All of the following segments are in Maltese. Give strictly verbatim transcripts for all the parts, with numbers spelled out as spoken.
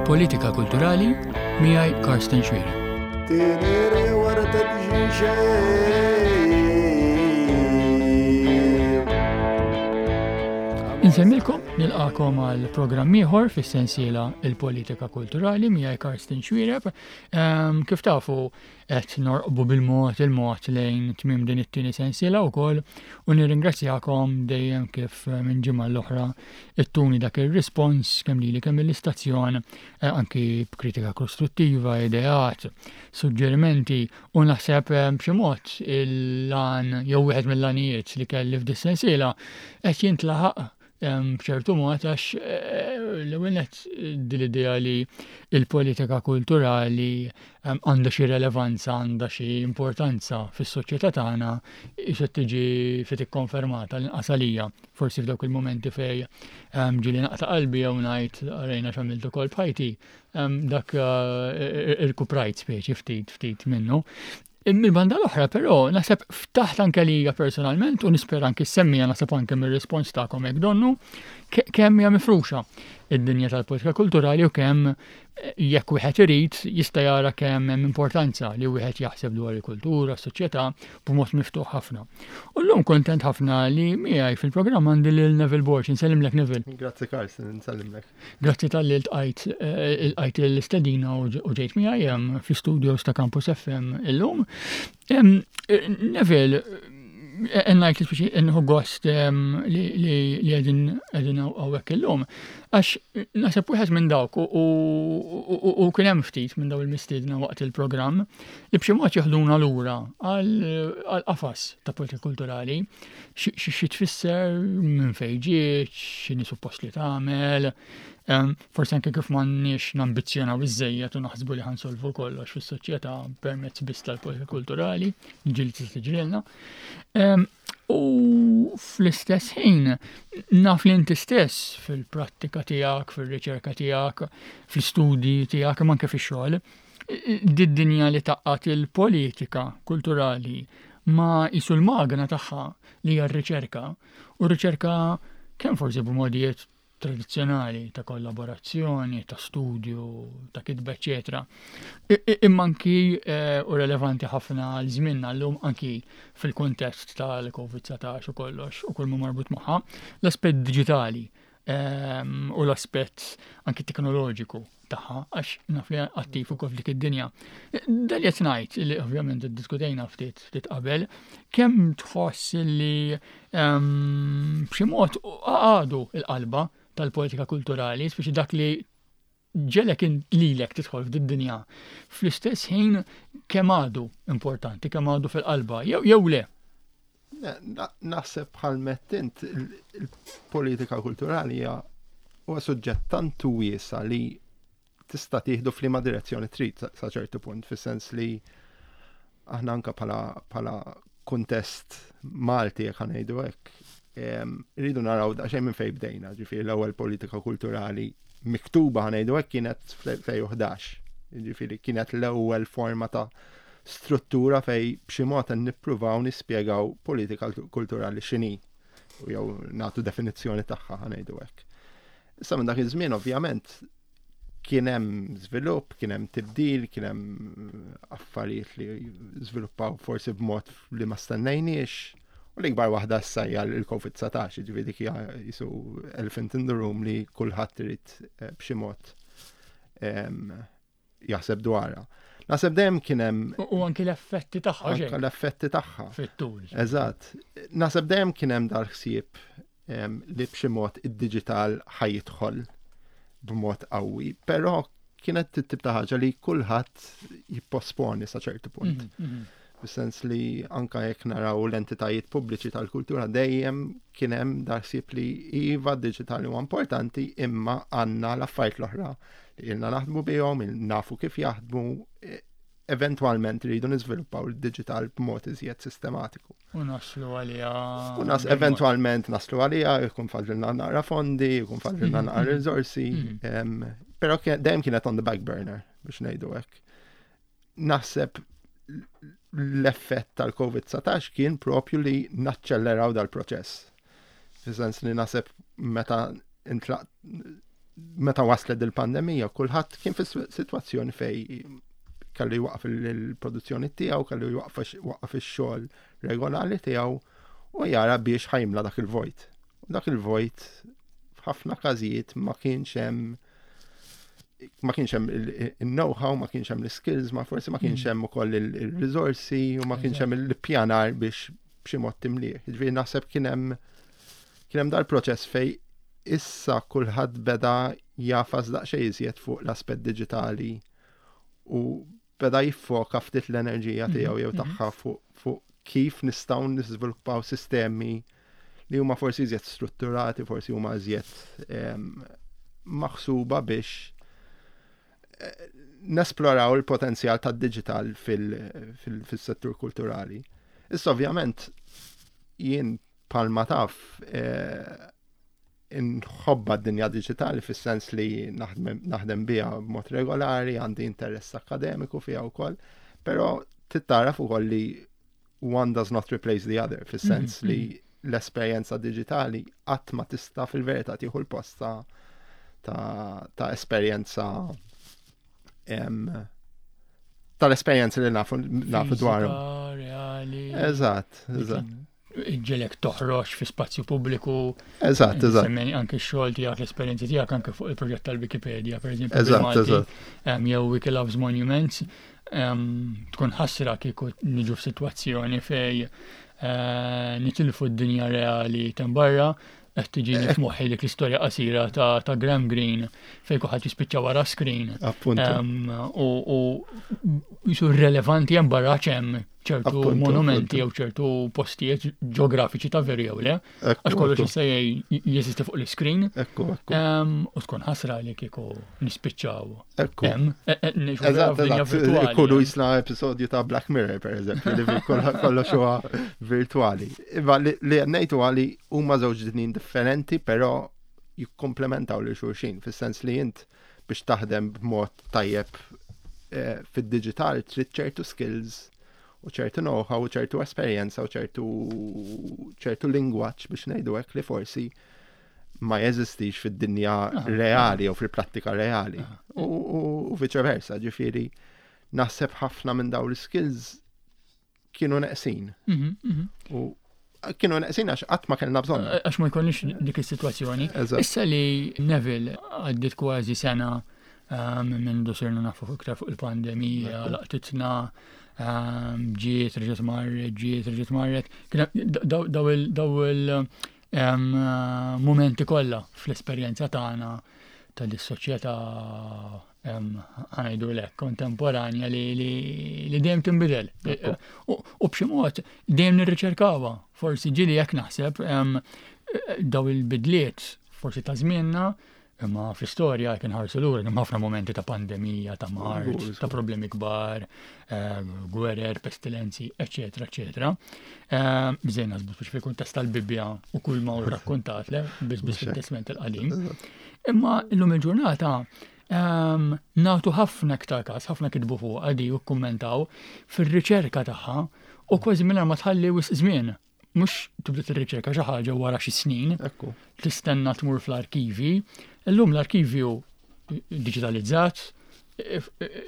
Il-Politika Kulturali miegħi Karsten Xuereb. Tenere warta Insemmilkom nilqakom għal programm ieħor fis-sensiela Il-Politika Kulturali miegħi Karsten Xuereb. Ehm, kif tafu qed norqbu bil-mod il-mod lejn tmiem din it-tieni sensiela wkoll u nirringrazzjakom dejjem kif minn ġimgħa l-oħra ittuni dak ir-rispons kemm lili kemm l-istazzjon eh, anki b'kritika kostruttiva, ideat, suġġerimenti u naħseb eh, b'xi mod il-lan jew wieħed mill-lanijiet li kelli f'dis-sensiela qed jintlaħaq b'ċertu mod għax eh, l-ewwel nett din l-idea li il-politika kulturali għandha xi relevanza, għandha xi importanza fis-soċjetà tagħna issa tiġi ftit ikkonfermata l-inqas għalija. Forsi f'dawk il-momenti fej ġieli naqta' qalbi jew ngħid arajna x'għamilt ukoll b'ħajti, dak eh, irkuprajt speċi ftit ftit minnu. Mill-banda l-oħra, però, naħseb ftaħt anke lija personalment u nispera anke semmija naħseb anke mir-rispons tagħkom hekk donnu kemm hija mifruxa id-dinja tal-politika kulturali u kemm eh, jekk wieħed irid jista' jara kemm hemm importanza li wieħed jaħseb dwar il-kultura, s-soċjetà b'mod miftuħ ħafna. U llum kontent ħafna li miegħi fil-programm għandi lil Neville Borg, insellimlek Neville. Grazzi Karsten, nsellimlek. Grazzi talli lqajt eh, lqajt l-istedina u ġejt miegħi hemm fl-studios ta' Campus F M illum. Em, eh, Neville, ngħid li speċi nieħu gost em, li li li qegħdin qegħdin hawnhekk illum. Għax naħseb wieħed minn dawk u- u u- u kien hemm ftit minn daw il-mistiedna waqt il-programm li b'xi mod jeħduna lura għal għal qafas ta' politika kulturali, xi xi tfisser, minn fejn ġiet, x'inhi suppost li tagħmel, em, forsi anke kif m'għandniex nambizzjonaw iżżejjed u naħsbu li ħa nsolvu kollox fis-soċjetà permezz biss tal-politika kulturali, ġieli tista' tiġrilna. Em, U fl-istess ħin naf li inti stess fil-prattika tiegħek, fil-riċerka tiegħek, fl-istudji tiegħek, imma anke fix-xogħol, did-dinja li tgħaqqad il-politika kulturali ma jisu l-magna tagħha li hija r-riċerka, u r-riċerka kemm forsi b'modijiet tradizzjonali ta' kollaborazzjoni, ta' studju, ta' kitba, eċetera. I- i- Imma anki eh, u relevanti ħafna għal żmienna llum anki fil-kontest tal-Covid dsatax u kollox u kull ma marbut magħha, l-aspett diġitali ehm, u l-aspett anki teknoloġiku tagħha għax naf li attiv ukoll f'dik id-dinja. Dan li qed ngħid li ovvjament iddiskutejna ftit ftit qabel, kemm tħoss li ehm, b'xi mod għadu il-qalba tal-politika kulturali, speċi dak li ġiegħlek lilek tidħol f'did-dinja. Fl-istess ħin kemm għadu importanti, kemm għadu fil-qalba, jew jew le? Naħseb bħal mettint il-politika kulturali hija huwa suġġett tant wiesa li tista' tieħdu f'liema direzzjoni trid sa ċertu punt, fis-sens li aħna anka bħala bħala kuntest Malti, jekk ngħidu hekk, rridu naraw daqsxejn minn fejn bdejna, ġifieri l-ewwel politika kulturali miktuba, ħa ngħidu hekk, kienet fl-elfejn u ħdax. Ġifieri kienet l-ewwel forma ta' struttura fej b'xi mod nippruvaw nispjegaw politika kulturali x'inhi u jew nagħtu definizzjoni tagħha, ħa ngħidu hekk. Issa minn dak iż-żmien ovvjament kien hemm żvilupp, kien hemm tibdil, kien hemm affarijiet li żviluppaw forsi b'mod li ma stennejniex. U l-ikbar waħda issa hija l-Covid dsatax, ġifieri dik hija jisu elephant in the room li kulħadd irid eh, b'xi mod jaħseb dwarha. Naħseb dejjem kien hemm U anki l-effetti tagħha. Anke l-effetti tagħha. Fit-tul. Eżatt. Naħseb dejjem kien hemm dal-ħsieb li b'xi mod id-digital ħa jidħol b'mod qawwi, però kienet tip ta' ħaġa li kulħadd jipposponi sa ċertu punt. Mhm, mhm. Fis-sens li anka jekk naraw l-entitajiet pubbliċi tal-kultura dejjem kien hemm dal-ħsieb li iva, digitali huwa importanti, imma għandna l-affarijiet l-oħra li ilna naħdmu bihom, nafu kif jaħdmu, e, eventualment rridu niżviluppaw il-digital b'mod iżjed sistematiku. U naslu għalija. U nas eventualment naslu għalija, jkun fadlilna naqra fondi, jkun fadlilna naqra mhm. risorsi, mhm. però dejjem kienet on the back burner biex ngħidu hekk. Naħseb l-effett tal-Covid dsatax kien propju li naċċelleraw dal-proċess. Fis-sens li naħseb meta intlaq Meta waslet il-pandemija, kulħadd kien fi sitwazzjoni fejn kellu jwaqaf il-produzzjoni tiegħu, kellu jwaqqaf ix-xogħol regolari tiegħu u jara biex ħa jimla dak il-vojt. U dak il-vojt f'ħafna każijiet ma kienx hemm ma kienx hemm il-know-how, ma kienx hemm l-skills, ma forsi ma kienx mm. hemm ukoll il-riżorsi u ma kienx hemm il-pjanar biex b'xi mod timlih. Ġifieri naħseb kien hemm kien hemm dal-proċess fejn issa kulħadd beda jagħfas daqsxejn iżjed fuq l-aspett diġitali u beda jiffoka ftit l-enerġija mhm, tiegħu jew mhm. tagħha fuq kif nistgħu niżviluppaw sistemi li huma forsi iżjed strutturati, forsi huma iżjed maħsuba biex eh, nesploraw il-potenzjal tad-digital fil-settur kulturali. Issa, ovvjament, jien bħalma taf eh, inħobbha d-dinja digitali fis-sens li naħdem biha b'mod regolari, għandi interess akademiku fiha wkoll, però trid tagħraf ukoll li one does not replace the other, fis-sens mm -hmm. li l-esperjenza digitali qatt ma tista' fil-verità tieħu l-post ta', ta esperjenza tal-esperjenza li nafu nafu dwarhom. Reali. Eżatt, eżatt. Iġġegħlek toħroġ fi spazju pubbliku. Eżatt, eżatt. Semmejt anke x-xogħol tiegħek, l-esperjenzi tiegħek anke fuq il-proġett tal-Wikipedia, per eżempju. Eżatt, eżatt. Jew Wiki Loves Monuments, tkun ħasra kieku niġu f'sitwazzjoni fejn eh, nitilfu d-dinja reali t'hemm barra. Qed tiġini f'moħħi dik l-istorja qasira ta' ta' Graham Greene fejn kulħadd jispiċċa wara screen. U jisu relevanti hemm barra hemm ċertu monumenti jew ċertu postijiet ġeografiċi ta' veru jew le. Għax kollox jista' jeżisti fuq l-screen. U tkun ħasra li kieku nispiċċaw. Hemm. E, e, eżatt, ikunu jisna episodju ta' Black Mirror, per eżempju, li kollox huwa virtuali. Iva, li ngħidu għali huma żewġ dinjin differenti, però jikkomplementaw lil xulxin, fis-sens li int biex taħdem b'mod tajjeb eh, fid-digital trid ċertu skills u ċertu know-how u ċertu esperjenza u ċertu ċertu lingwaġġ, biex ngħidu hekk, li forsi ma jeżistix fid-dinja reali u fil-prattika reali. U viċeversa, ġifieri naħseb ħafna minn dawn l-skills kienu neqsin. Mhm, mhm. U kienu neqsin għax qatt ma kellna bżonn. Għax ma jkollniex dik is-sitwazzjoni. Issa li, Neville, għaddit kważi sena um, minn sirna nafu iktar fuq il-pandemija, laqtitna, um, ġiet, reġgħet marret, ġiet, reġgħet marret. Daw il um, momenti kollha fl-esperjenza tagħna tal-soċjetà, ħa ngħidu lek, kontemporanja li li dejjem tinbidel. U b'xi mod dejjem nirriċerkawha. Forsi ġieli jekk naħseb daw il-bidliet forsi ta' żmienna, imma fl-istorja kien ħarsu lura hemm ħafna momenti ta' pandemija, ta' mard, ta' problemi kbar, eh, gwerer, pestilenzi, eccetera, eccetera. Eh, Bżejna naħsbu biex fil-kuntest tal-Bibbja u kull ma hu rakkontat le, biss biss fit-Testament il-Qadim. Imma illum il-ġurnata ehm, nagħtu ħafna iktar każ, ħafna kitbu fuq għadi u kummentaw fir-riċerka tagħha u kważi mingħajr ma tħalli wisq żmien. Mhux tibda tirriċerka xi ħaġa wara xi snin, Ekku. tistenna tmur fl-arkivi. Illum l-arkivju digitalizzat,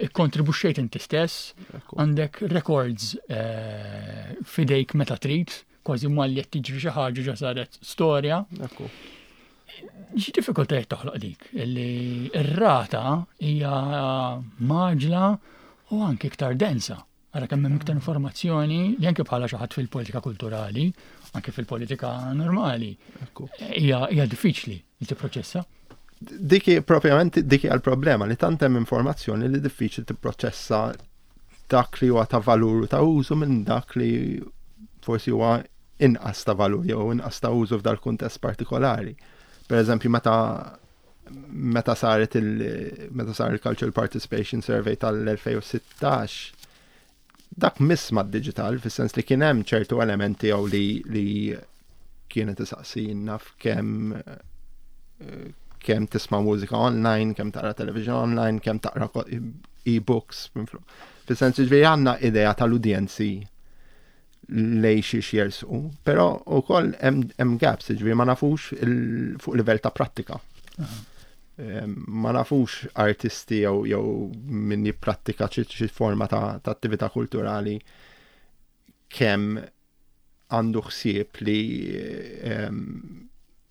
ikkontribwixxejt inti stess, għandek records eh, fidejk meta trid, kważi malli qed tiġri xi ħaġa ġa saret storja. Ekku. Xi diffikultajiet toħloq dik li r-rata hija mgħaġġla u anke iktar densa? Ara kemm hemm iktar informazzjoni li anke bħala xi ħadd fil-politika kulturali, anke fil-politika normali, Ekku. hija hija diffiċli li tipproċessa. Dik propjament dik hija l-problema, li tant hemm informazzjoni li diffiċli tipproċessa dak li huwa ta' valur u ta' użu minn dak li forsi huwa inqas ta' valur jew inqas ta' użu f'dal kuntest partikolari. Per eżempju, meta meta saret il meta sar il-Cultural Participation Survey tal-elfejn u sittax, dak miss mad-digital fis-sens li kien hemm ċertu elementi jew li li kienet isaqsina f'kemm eh, kemm tisma' mużika online, kemm taqra television online, kemm taqra ko- e-books. Fis-sens, ġifieri għandna idea tal-udjenzi lej xiex jersqu, però ukoll hemm hemm gaps, ġifieri ma nafux il- fuq livell ta' prattika. Ma nafux artisti jew jew min jipprattika xi forma ta' attività kulturali kemm għandu ħsieb li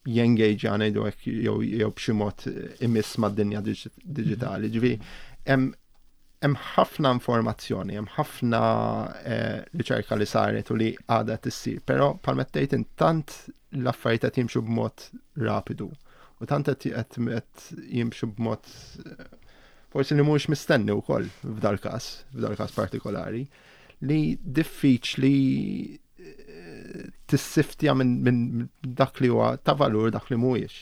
jengaġa, ngħidu hekk, jew jew b'xi mod imiss mad-dinja diġitali. Ġifieri hemm ħafna informazzjoni, hemm ħafna eh, riċerka li saret u li għadha tissir, però bħalma tgħid tant l-affarijiet qed jimxu b'mod rapidu u tant qed jimxu b'mod eh, forsi li mhux mistenni wkoll f'dal-każ, f'dal-każ partikolari, li diffiċli eh, tissiftja minn min dak li huwa ta' valur, dak li mhuwiex.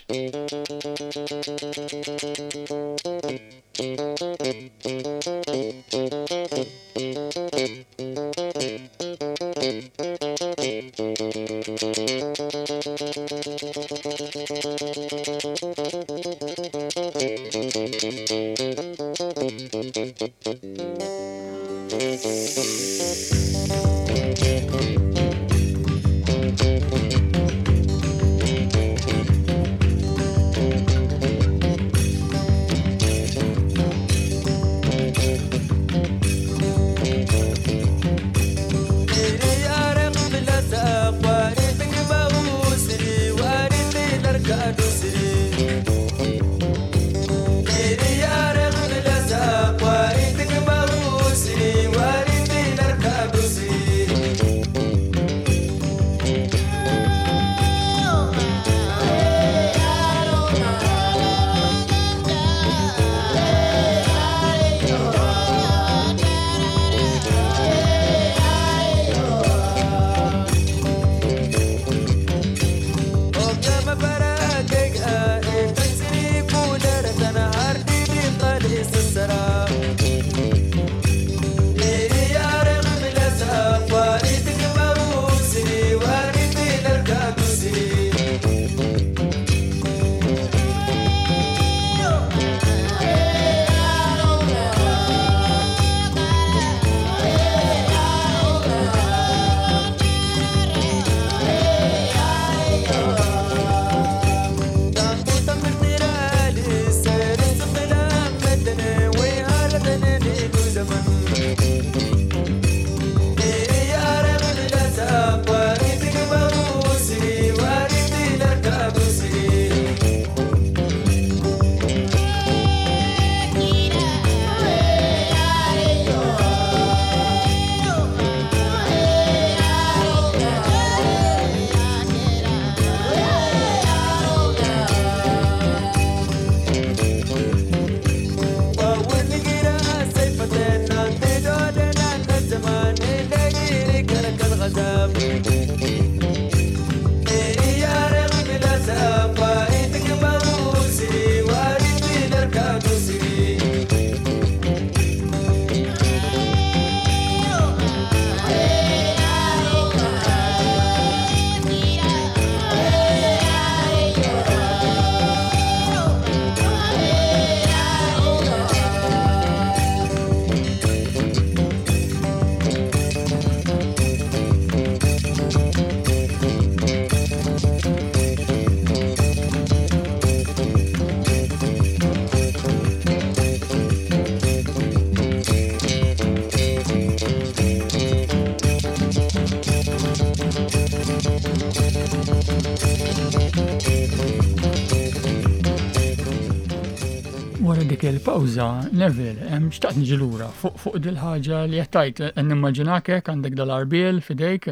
Wara dik il-pawża, Neville, xtaqt niġi lura fuq fuq dil-ħaġa li qed tgħid. Nimmaġinak hekk għandek dal-għarbiel f'idejk,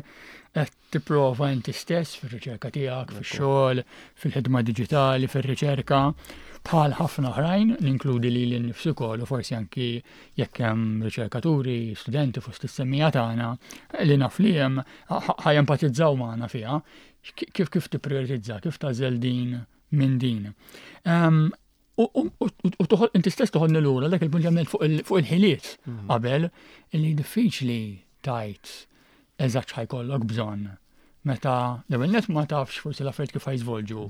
qed tipprova inti stess fir-riċerka tiegħek, fix-xogħol, fil-ħidma diġitali, fir-riċerka, bħal ħafna oħrajn, ninkludi lili nnifsi wkoll u forsi anki jekk hemm riċerkaturi, studenti fost is-semmiegħa tagħna li naf li hemm ħa jempatizzaw magħna fiha, kif kif tipprioritizza, kif tagħżel din minn din. U inti stess toħodni lura dak il-punt li għamilt fuq il-ħiliet mhm. qabel, li diffiċli tgħid eżatt x'ħa jkollok bżonn. Meta l-ewwel net ma tafx forsi l-affarijiet kif ħa jiżvolġu.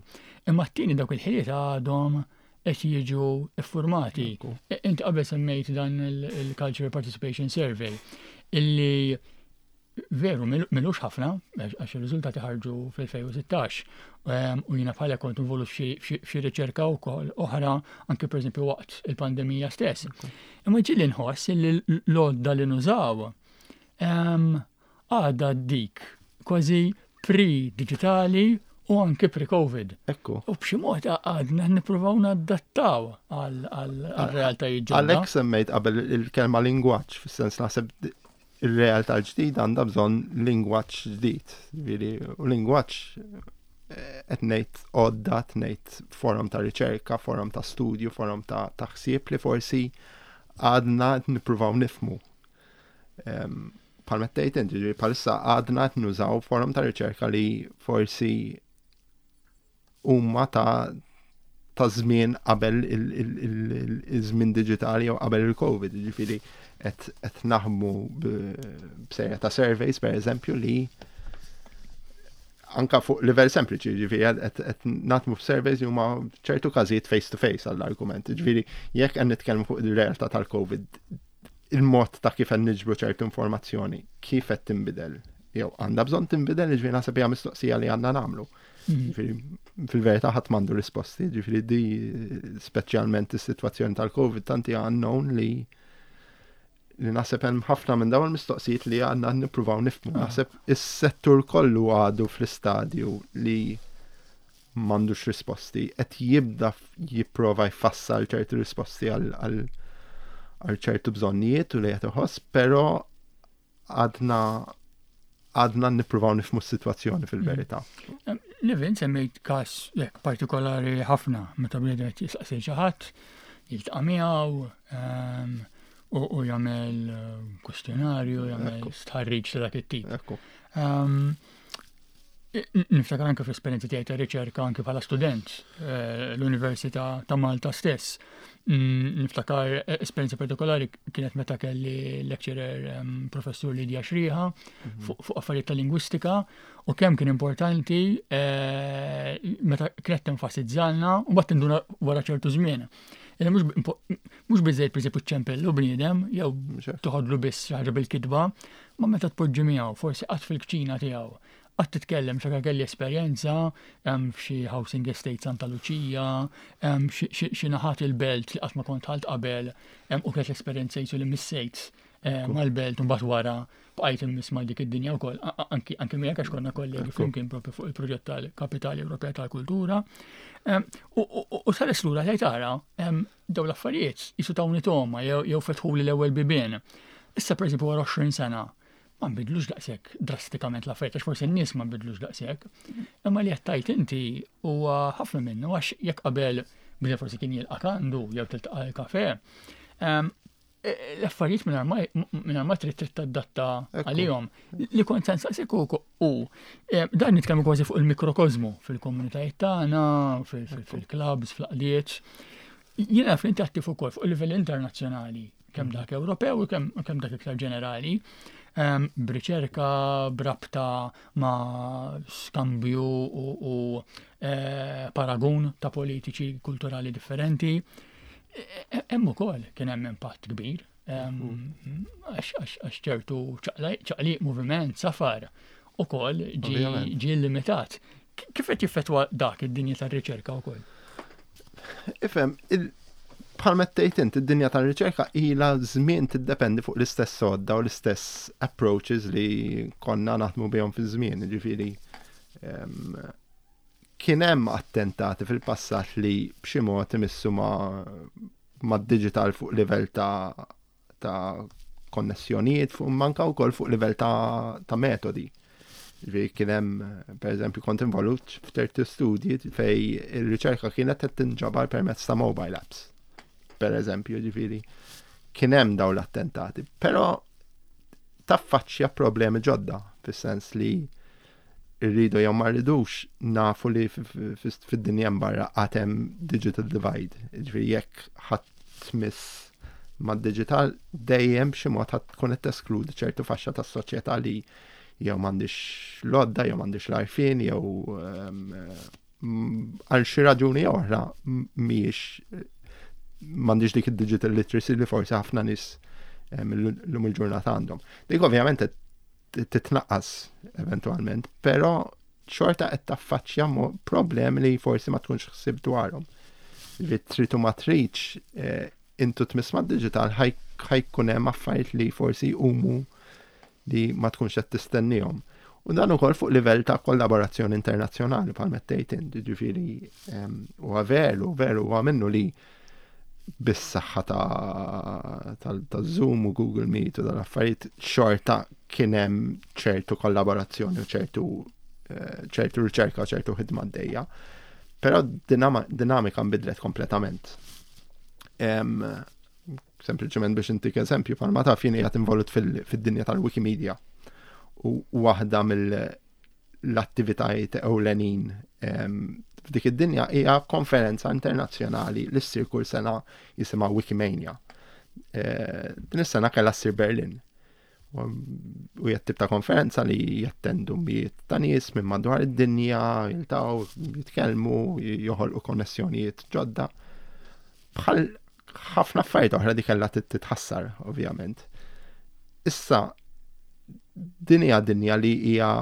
Imma t-tieni, dawk il-ħiliet għadhom qed jiġu iffurmati. Inti qabel semmejt dan il-Cultural Participation Survey illi Veru, m'ilux ħafna, għax il-riżultati ħarġu fl-elfejn u sittax, u jiena bħala kont involut f'xi riċerka wkoll oħra, anke pereżempju waqt il-pandemija stess. Imma ġieli nħoss li l-għodda li nużaw għadha dik kważi pre-digitali u anke pre-Covid. Ekku. U b'xi mod għadna nippruvaw nadattaw għal-realtajiet ġodda. Għalhekk semmejt qabel il-kelma lingwaġġ, fis-sens naħseb il-realtà l-ġdida għandha bżonn lingwaġġ ġdid. Ġifieri, u lingwaġġ eh, qed ngħid għodda, qed ngħid forum ta' riċerka, forum ta' studju, forum ta' ħsieb li forsi għadna qed nippruvaw nifhmu. Bħalma tgħid inti, ġifieri bħalissa għadna qed nużaw forum ta' riċerka li forsi huma ta' ta' żmien qabel il-żmien diġitali jew qabel il-Covid, ġifieri qed naħdmu b'serje ta' surveys, per eżempju, li anka fuq livell sempliċi, ġifieri qed naħdmu f'surveys li huma ċertu każijiet face to face għall-argument. Ġifieri jekk qed nitkellmu fuq il-realtà tal-Covid, il-mod ta' kif qed niġbru ċertu informazzjoni, kif qed tinbidel, jew għandha bżonn tinbidel, ġifieri naħseb hija mistoqsija li għandna nagħmlu. Mhm. Fil-verità ħadd m'għandu risposti, ġifieri di speċjalment is-sitwazzjoni tal-Covid tant hija unknown li li naħseb hemm ħafna minn dawn il-mistoqsijiet li għandna nippruvaw nifhmu. Ah. Naħseb is-settur kollu għadu fl-istadju li m'għandux risposti, qed jibda jipprova jfassal ċertu risposti għal ċertu bżonnijiet u li qed iħoss, però għadna għadna nippruvaw nifhmu s-sitwazzjoni fil-verità. Mm. Nevin, semmejt każ hekk partikolari ħafna meta bniedem qed jistaqsi xi ħadd, jiltaqa' miegħu ehm, u jagħmel eh, kwestjonarju, jagħmel stħarriġ ta' dak it-tip. Ehm, niftakar anke fl-esperjenza tiegħi ta' riċerka anke bħala student eh, l-Università ta' Malta stess. Mm, niftakar eh, esperjenza partikolari kienet meta kelli lecturer ehm, professur Lydia Xriħa mhm. fuq affarijiet ta' lingwistika u kemm kien importanti eh, meta kienet tenfasizzalna u mbagħad tinduna wara ċertu żmien. Mhux biżejjed pereżempju ċempellu bniedem jew toħodlu biss xi ħaġa bil-kitba, ma meta tpoġġi miegħu forsi qatt fil-kċina tiegħu għat titkellem xaka kelli esperjenza f'xi housing estate Santa Lucia, xi naħat il-belt li qatt ma kont ħalt qabel, u kienet l-esperjenza jisu li missejt mal-belt u mbagħad wara bqajt immiss ma' dik id-dinja wkoll, anki anki miegħek għax konna kollegi flimkien propju fuq il-proġett tal-Kapitali Ewropea tal Kultura. U sares lura li tara dawn l-affarijiet jisu tawni toma jew fetħuli l-ewwel bibien. Issa, pereżempju, wara għoxrin sena ma nbidlux daqshekk drastikament l-affarijiet, għax forsi n-nies ma nbidlux daqshekk. Imma li qed tgħid inti huwa ħafna minnu għax jekk qabel bidel forsi kien jilqak għandu jew tiltaqa' l-kafe, l-affarijiet minn ma trid trid tadatta għalihom. Li kont se nsaqsik u dan nitkellmu kważi fuq il-mikrokozmu fil-komunitajiet tagħna, fil-clubs, fl-għaqdiet. Jiena naf li inti attiv ukoll fuq il-livell internazzjonali, kemm dak Ewropew u kemm dak iktar ġenerali, b'riċerka, b'rabta ma' skambju u eh, paragun ta' politiċi kulturali differenti. E, e, hemm ukoll kien hemm impatt kbir għax ċertu ċaqliq, moviment, safar ukoll ġi limitat. Kif qed jiffettwa dak id-dinja tar-riċerka wkoll? Ifhem, bħal tgħid int, id-dinja tar-riċerka ilha żmien tiddependi fuq l-istess għodda u l-istess approaches li konna naħdmu bihom fi żmien, ġifieri kien hemm attentati fil-passat li b'xi mod imissu ma' ma' digital fuq livell ta' ta' konnessjonijiet fuq manka wkoll fuq livell ta', ta metodi. Ġifieri kien hemm, pereżempju, kont involut f'ċerti studji fej ir-riċerka kienet qed tinġabar permezz ta' mobile apps. Per eżempju, ġifieri kien hemm dawn l-attentati, però taffaċċja problemi ġodda fis-sens li rridu jew ma rridux nafu li fid-dinja barra għad hemm digital divide. Ġifieri jekk ħadd tmiss ma' digital dejjem b'xi mod ħadd tkun qed teskludi ċertu faxxa tas-soċjetà li jew m'għandix l-għodda, jew m'għandix l-għarfien, jew għal xi raġuni oħra mhijiex m'għandix dik id-digital literacy li forsi ħafna nies illum il-ġurnata għandhom. Dik ovvjament titnaqqas eventwalment, però xorta qed taffaċċja problemi li forsi ma tkunx ħsib dwarhom. Li trid u ma tridx, eh, intu tmiss mad-digital ħa jkun hemm affarijiet li forsi jqumu li ma tkunx qed tistennihom. U dan ukoll fuq livell ta' kollaborazzjoni internazzjonali bħal mettejt int, ġifieri huwa veru, veru huwa minnu li bis-saħħa ta' Zoom u Google Meet u dal-affarijiet xorta kien hemm ċertu kollaborazzjoni u ċertu eh, ċertu riċerka u ċertu ħidma għaddejja. Però dinamika nbidlet kompletament. Sempliċement biex intik eżempju, bħalma taf jien qiegħed involut fid-dinja tal-Wikimedia. U waħda mill-attivitajiet ewlenin f'dik id-dinja hija konferenza internazzjonali li ssir kull sena jisimha Wikimania. Eh, din is-sena kellha ssir Berlin. U hija tip ta' konferenza li jattendu mijiet ta' nies minn madwar id-dinja, jiltaqgħu, jitkellmu, joħolqu konnessjonijiet ġodda. Bħal ħafna affarijiet oħra di kellha titħassar, ovvjament. Issa, din hija dinja li hija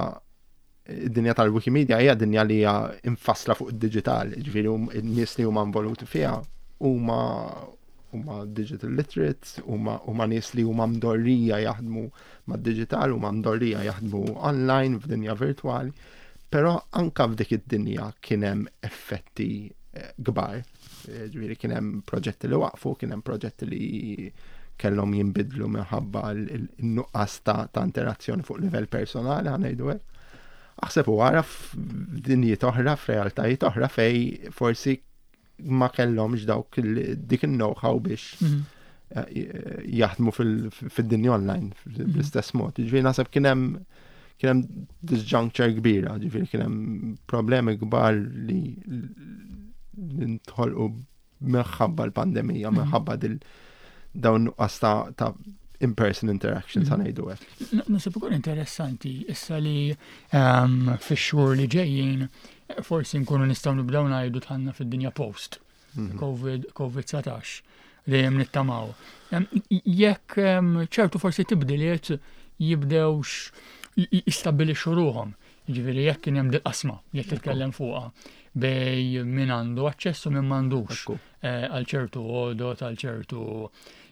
id-dinja tal-Wikimedia hija dinja li hija infassla fuq id-digital, ġifieri n-nies li huma involuti fiha huma huma digital literate, huma huma nies li huma mdorrija jaħdmu mad-digital, huma mdorrija jaħdmu online f'dinja virtwali, però anka f'dik id-dinja kien hemm effetti eh, kbar. Eh, ġifieri kien hemm proġetti li waqfu, kien hemm proġetti li kellhom jinbidlu minħabba l-nuqqas ta' ta' interazzjoni fuq livell personali, ħa ngħidu hekk. Aħseb u ara f'dinjiet oħra, f'realtajiet oħra fej forsi ma kellhomx dawk dik il-know-how biex mhm. eh, jaħdmu fid-dinja online bl-istess mod. Ġifieri naħseb kien hemm kien hemm disjuncture kbira, ġifieri kien hemm problemi kbar li ntħolqu minħabba l-pandemija, mhm. minħabba dil dawn nuqqas ta' in-person interaction sa mhm. ngħidu hekk. Naħseb ukoll interessanti issa li ehm, fix-xhur li ġejjin forsi nkunu nistgħu nibdew ngħidu dħalna fid-dinja post mhm. Covid Covid dsatax dejjem nittamaw. Ehm, jekk ehm, ċertu forsi tibdiliet jibdewx jistabbilixxu ruħhom. Ġifieri jekk kien hemm dil-qasma jekk titkellem fuqha bej min għandu aċċess u min m'għandux eh, għal ċertu għodot, għal ċertu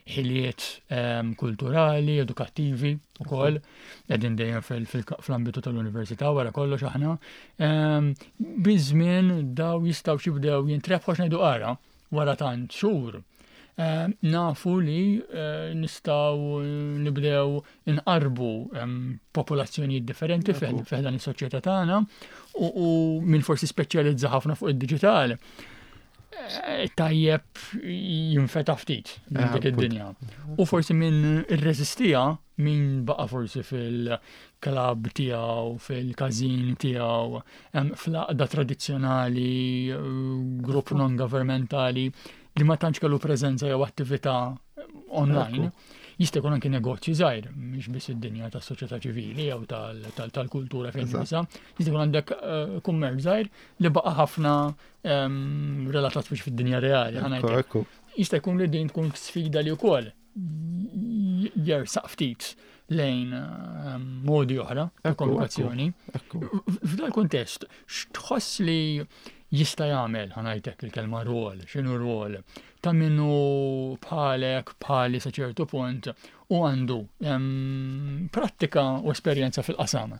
ħiliet ehm, kulturali, edukattivi ukoll, qegħdin dejjem fl-ambitu tal-università wara kollox aħna. Ehm, biż-żmien daw jistgħu jibdew jintrebħu ngħidu ara wara tant xhur. Ehm, nafu li eh, nistgħu nibdew inqarbu popolazzjonijiet differenti fi dan is-soċjetà tagħna u min forsi speċjalizza ħafna fuq id-diġitali eh, tajjeb jinfeta ftit minn eh, dik id-dinja. U forsi min irreżistija, min baqa forsi fil-klab tiegħu, fil-każin tiegħu, fl-għaqda tradizzjonali, grupp non-governmentali li ma tantx kellu preżenza jew attività online. Jista' jkun anke negozju żgħir, mhix biss id-dinja tas-soċjetà ċivili jew tal-kultura fejn nisa. Jista' jkun għandek eh, kummerċ żgħir li baqa' ħafna ehm, relatat biex fid-dinja reali. Jista' jkun li din tkun sfida li wkoll jersaq ftit lejn ehm, modi oħra ta' komunikazzjoni. F'dal kuntest, x'tħoss li jista' jagħmel, ħa ngħidlek il-kelma rol, x'inhu rol, ta' minnu bħalek, bħali sa ċertu punt u għandu ehm, prattika u esperjenza fil-qasam.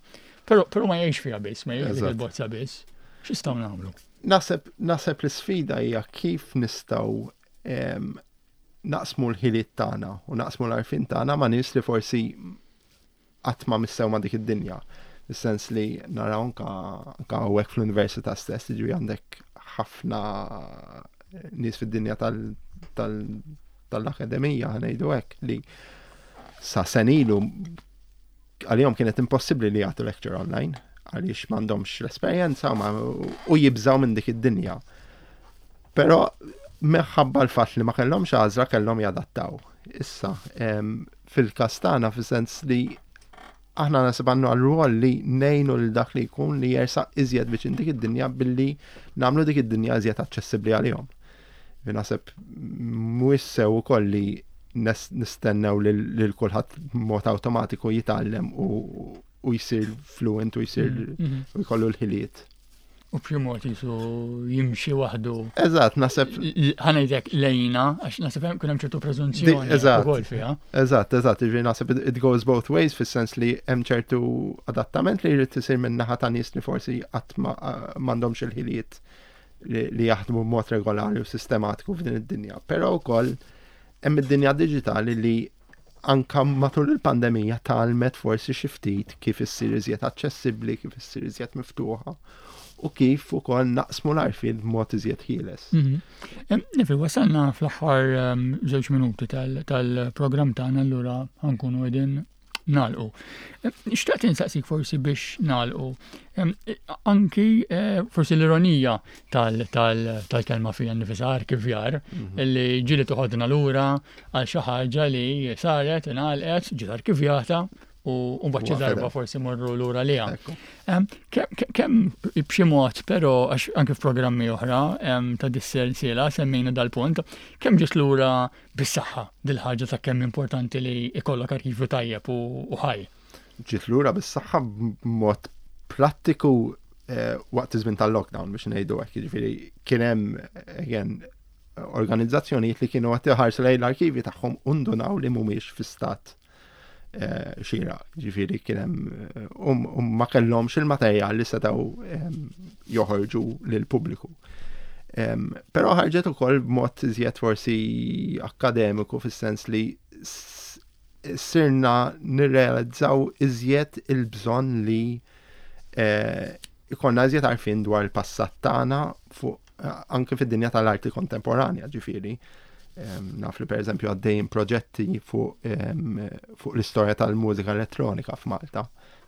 Però però ma jgħix fiha biss, ma jgħix il-bozza biss. X'istgħu nagħmlu? Naħseb naħseb l-isfida hija kif nistgħu ehm, naqsmu l-ħiliet tagħna u naqsmu l-għarfien tagħna ma' nies li forsi qatt ma missew ma' dik id-dinja. Fis-sens li naraw anka anka hawnhekk fl-università stess, jiġifieri għandek ħafna nies fid-dinja tal-akademija, ħa ngħidu hekk, li sa sena ilu għalihom kienet impossibbli li jagħtu lecture online għaliex m'għandhomx l-esperjenza u jibżaw minn dik id-dinja. Però minħabba l-fatt li ma kellhomx għażla kellhom jadattaw. Issa, fil-każ tagħna fis-sens li aħna naħseb għandna għal li ngħinu lil dak li jkun li jersaq iżjed viċin dik id-dinja billi nagħmlu dik id-dinja iżjed aċċessibbli għalihom. Naħseb mhuwiex sew ukoll li nistennew lil kulħadd mod awtomatiku jitgħallem u u jsir fluent u jsir Mhm. u jkollu l-ħiliet. U b'xi mod jisu jimxi waħdu. Eżatt, naħseb Ħa ngħidlek lejna, għax naħseb hemm kun hemm ċertu preżunzjoni Di- eżatt. ukoll fiha. Eżatt, eżatt, ġifieri naħseb it- it goes both ways fis-sens li hemm ċertu adattament li jrid isir minn naħa ta' nies li forsi qatt ma m'għandhomx il-ħiliet li, li jaħdmu b'mod regolari u sistematiku f'din id-dinja. Però wkoll hemm id-dinja diġitali li anka matul il-pandemija tgħallmet forsi xi ftit kif issir iżjed aċċessibbli, kif issir iżjed miftuħa u kif ukoll naqsmu l-għarfien b'mod iżjed ħieles. Mhm. Em, Neville, wasalna fl-aħħar em, żewġ minuti tal- tal-programm tagħna allura ħa nkunu qegħdin nagħlqu. Em, Xtaqt insaqsik forsi biex nagħlqu. Em, Anki eh, forsi l-ironija tal- tal- tal-kelma fija nifisha arkivjar li ġieli toħodna lura għal xi ħaġa li saret, ingħalqet, ġiet arkivjata u u mbagħad xi U darba għafedet. forsi morru lura liha. Ekku. Em, Kemm kem b'xi mod, però għax anke f'programmi oħra em, ta' dis-sensiela semmejna dal-punt, kemm ġiet lura bis-saħħa dil-ħaġa ta' kemm importanti li ikollok arkivju tajjeb u u ħaj. Ġiet lura bis-saħħa b'mod prattiku eh, waqt iż-żmien tal-lockdown biex ngħidu hekk, jiġifieri kien hemm again organizzazzjonijiet li kienu qed iħarsu lejn l-arkivi tagħhom u ndunaw li mhumiex fi stat eh, xieraq, ġifieri kien hemm eh, um, um ma kellhomx il-materjal li setgħu em, joħorġu lill-pubbliku. Em, Però ħarġet ukoll b'mod iżjed forsi akkademiku fis-sens li s- sirna nirrealizzaw iżjed il-bżonn li eh, ikollna iżjed għarfien dwar il-passat tagħna fuq eh, anke fid-dinja tal-arti kontemporanja, ġifieri. Em, Naf li per eżempju għaddejjin proġetti fuq em, fuq l-istorja tal-mużika elettronika f'Malta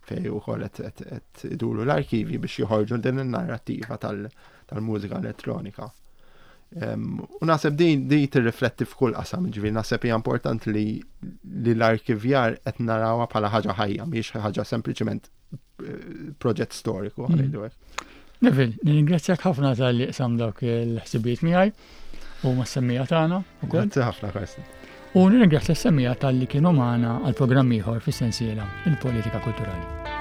fej ukoll qed qed- qed iduru l-arkivi biex joħorġu din in-narrattiva tal- tal-mużika elettronika. Em, U naħseb din di tirrifletti f'kull qasam, ġifieri naħseb hija importanti li li l-arkivjar qed narawha bħala ħaġa ħajja, mhijiex ħaġa sempliċement eh, proġett storiku, Mm. ħa ngħidu hekk. Neville, nirringrazzjak ħafna talli qsamt dawk il-ħsibijiet miegħi u mas-semmiegħa tagħna ukoll. Grazzi ħafna, Karsten. U nirringrazzja s-semmiegħa talli kienu magħna għal programm ieħor fis-sensiela il-politika kulturali.